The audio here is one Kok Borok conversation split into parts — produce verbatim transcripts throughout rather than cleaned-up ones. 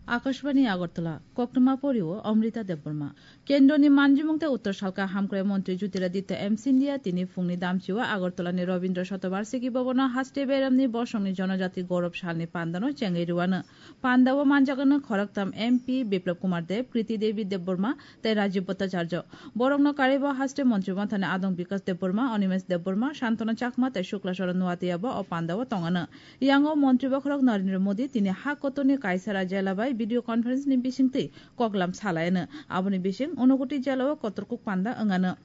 Akashbani Agartala, Koktwma Porio, Amrita Debbarma. Kendroni manjimung tei Uttor Salka Hamkrai Montri Jyotiraditya M Scindia tini phungni damchio Agartalani Rabindra Shatabarshiki Bhabono haste beramni bosongni Jonojati Gaurav Salni pandano chengwi rwano. Pandao manjakno khoroktham M P Biplab Kumar Deb, Kriti Devi Debbarma tei Rajiv Bhattacharya. Borokno karibo haste Montri Mathani Adong Bikas Debbarma, Animesh Debbarma, Santana Chakma tei Shukla Charan Noatia bo o pandao tongano. Yango Montri Bokhorok Narendra Modi tini ha kotorni Kaisara jela bai video conference ni bisingtwi koklam salaino. Aboni bising Unakoti jelao kotorkuk panda wngano.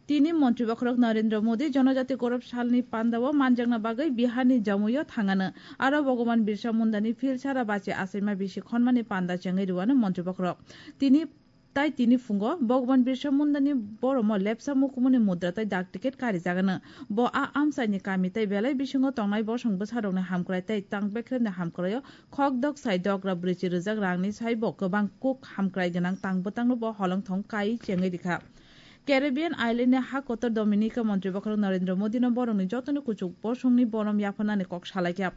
Tini Montri Bokhorok Narendra Modi Jonojati Gaurav Salni pandao manjakna bagwi Biharni Jamuio thangano. Aro Bhagwan Birsa Mundani phil sara bachi achaima bisi khonmani panda chengwi rwano Montri Bokhorok. Tini Tai tini phungo Bhagwan Birsa Mundani boromo lepsa mukumuni mudra tai dak ticket karijagano. Bo a amchaini kami tai belai bisingo tongnai bosong bwsarokni hamkrai tai tang bekremni hamkraio khok dok sai dogra bwrwichi rwjak rangni saibo kwbang kuk hamkrai gwnang tang bwtangno bo holong thong kai chengwi rikha. Caribbean Island ni ha kotor Dominica Montri Bokhorok Narendra Modi no borokni jotoni kuchuk bosongni borom yapharnani kok salaikha.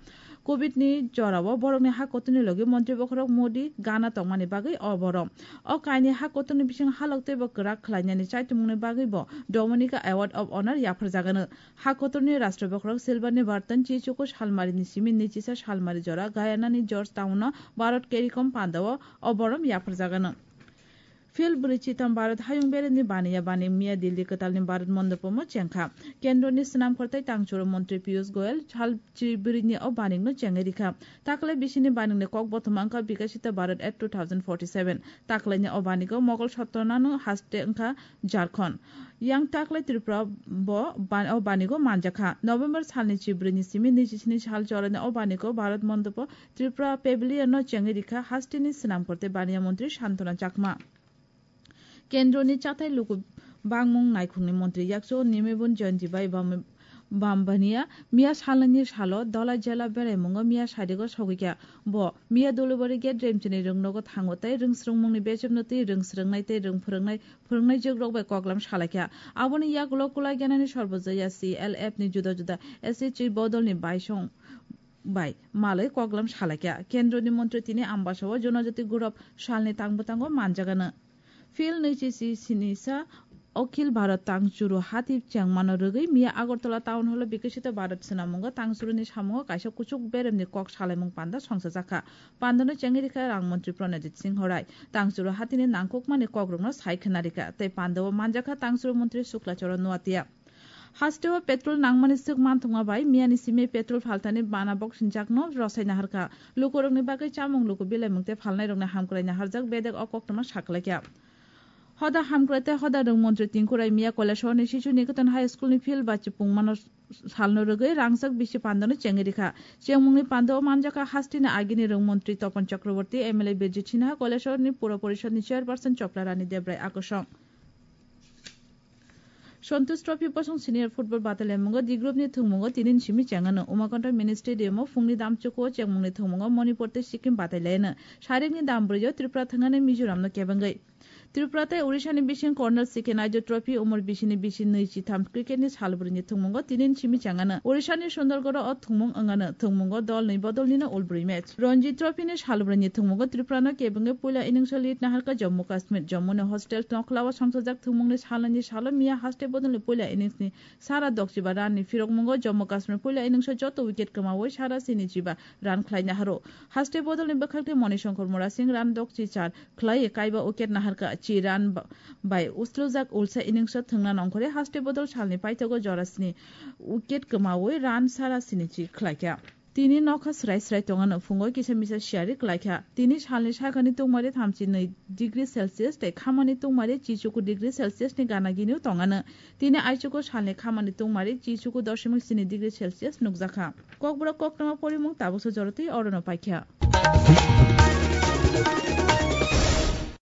Covid ni jorao borokni ha kotorni logi Montri Bokhorok Modi gana tongmani bagwi o borom. O kaini ha kotorni bising halok teibo kwrak khlainani chaitumungni bagwi bo Dominica Award of Honor yapharjagano. Ha kotorni Rashtra Bokhorok Silver ni Barton Chichuku Salmari ni simi nichisa Salmari jora Guyana ni George Town no Bharat Caricom pandao o borom yapharjagano. Phil bwrwi chitam Bharat hayung beremni baniya bani miya Delhi kwtalni Bharat Mondopomo chengkha. Kendroni swnam khortai tangchuro montri Piyush Goyal sal chibwrwini o banikno chengwi rikha. Taklai bisini banikni kok bothoma wngkha Vikasita Bharat at two thousand forty-seven. Taklaini o banigo Mogol Sottonano haste wngkha Jharkhand. Yang taklai Tripura bo ban-, o banigo manjakha. November salni chibwrwini simi nijisni sal jorani o banigo Bharat Mondopo Tripura Pavilion no chengwi rikha hasteni swnam korte baniya montri Santona Chakma. Kendroni chathai luku bangmung naikhungni montri yakchu Nimibun Joyonti bai Bam-, Bambania miya salnani salo Dola jela beraimungo miya sadigo sogwikha. Bo miya Dulubari gate remchini rwngnogo thango tei rwngsrwngmungni bechepno twi rwngsrwngnai tei rwngphwrwngnai phwrwngnai jwkrok bai koklam salaikha. Aboni yagulo Kulaiganani Sarbojoya C L F ni juda juda S H G bodolni baisong bai malwi koklam salaikha. Kendroni montri tini Ambasao Jonojati Gaurav Salni tangbwtango manjagano. Phil nwichi si sinisa Akhil Bharat Tangchuru hati chengmano rwgwi miya Agartala Town Hall o Bikasita Bharat swnamungo tangchuruni samungo kaisa kuchuk beremni kok salaimung panda songchajakha. Pandano chengwi rikha Rang Montri Pranajit Singh Rai. Tangchuru hatini nangkukmani kokrokno sai khna rikha tei pandao manjakha tangchuru montri Shukla Charan Noatia. Hasteo petrol nangmani swk manthokma bai miyani simi petrol phaltani bana boksinjakno rosai naharkha. Lukurokni bagwi chamung luku bilaimung tei phalnairokni hamkrai naharjak bedek o koktwma saklaikha. Hoda hamkrai tei hoda rwng montri Tinku Rai miya Kailasahar ni Shishu Niketan High School ni field bachi pungmano salno rwgwi rangchak bisi pandano chengwi rikha. Chengmungni pandao manjakha hasteni agini rwng montri Tapan Chakraborty, M L A Birjit Sinha, Kailasahar ni Pura Porishad ni chairperson Chopla Rani Debrai akosong. Santosh Trophy bosong senior football batai laimungo D group ni thwngmungo tinin simi chengano. Umakonto Mini Stadium o phungni damchukuo chengmungni thwngmungo Manipur tei Sikkim batai laino. Sarikni dam brwio Tripura thwngani Mizoram no kebengwi. Tripura tei Orissa ni bising Colonel C K Naidu Trophy umor bisi ni bisi nwi chitham cricket ni sal brwini thwngmungo tinin simi chengano. Orissa ni Sundargarh o thwngmung wngano. Thwngmungo dol nwi bodol nino ulbrwi match. Ranji Trophy ni salbrwini thwngmungo Tripura no kebengwi puila innings o lead naharkha Jammu Kashmir. Jammu ni hostel Nokhla o songchajak thwngmungni salnwini salo miya haste bodolni puila innings ni sara dokchiba run ni phirokmungo Jammu Kashmir puila innings o joto wicket kwmawi sara sinichiba run khlai naharo. Haste bodolni bwkhakni Moni Shankar Murasing run dokchi char khlaiwi kaiba wicket naharkha. Chi run ba-, bai uslujak ulsa innings o thwngna nongkhorwi haste bodol salni paithago jora sni wicket kwmawi run sara sinichi khlaikha. Tini nokha srai srai tongano, phungo kisa misa siyari klaikha. Tini salni sakani tungmari thamchi nwi degree Celsius tei khamani tungmari chichuku degree Celsius ni gana gini tongano. Tini aichuku salni khamani tungmari chichuku doshimik sini degree Celsius nukjakha. Kokborok koktwma porimung tabuksa jorotwi orono paikha.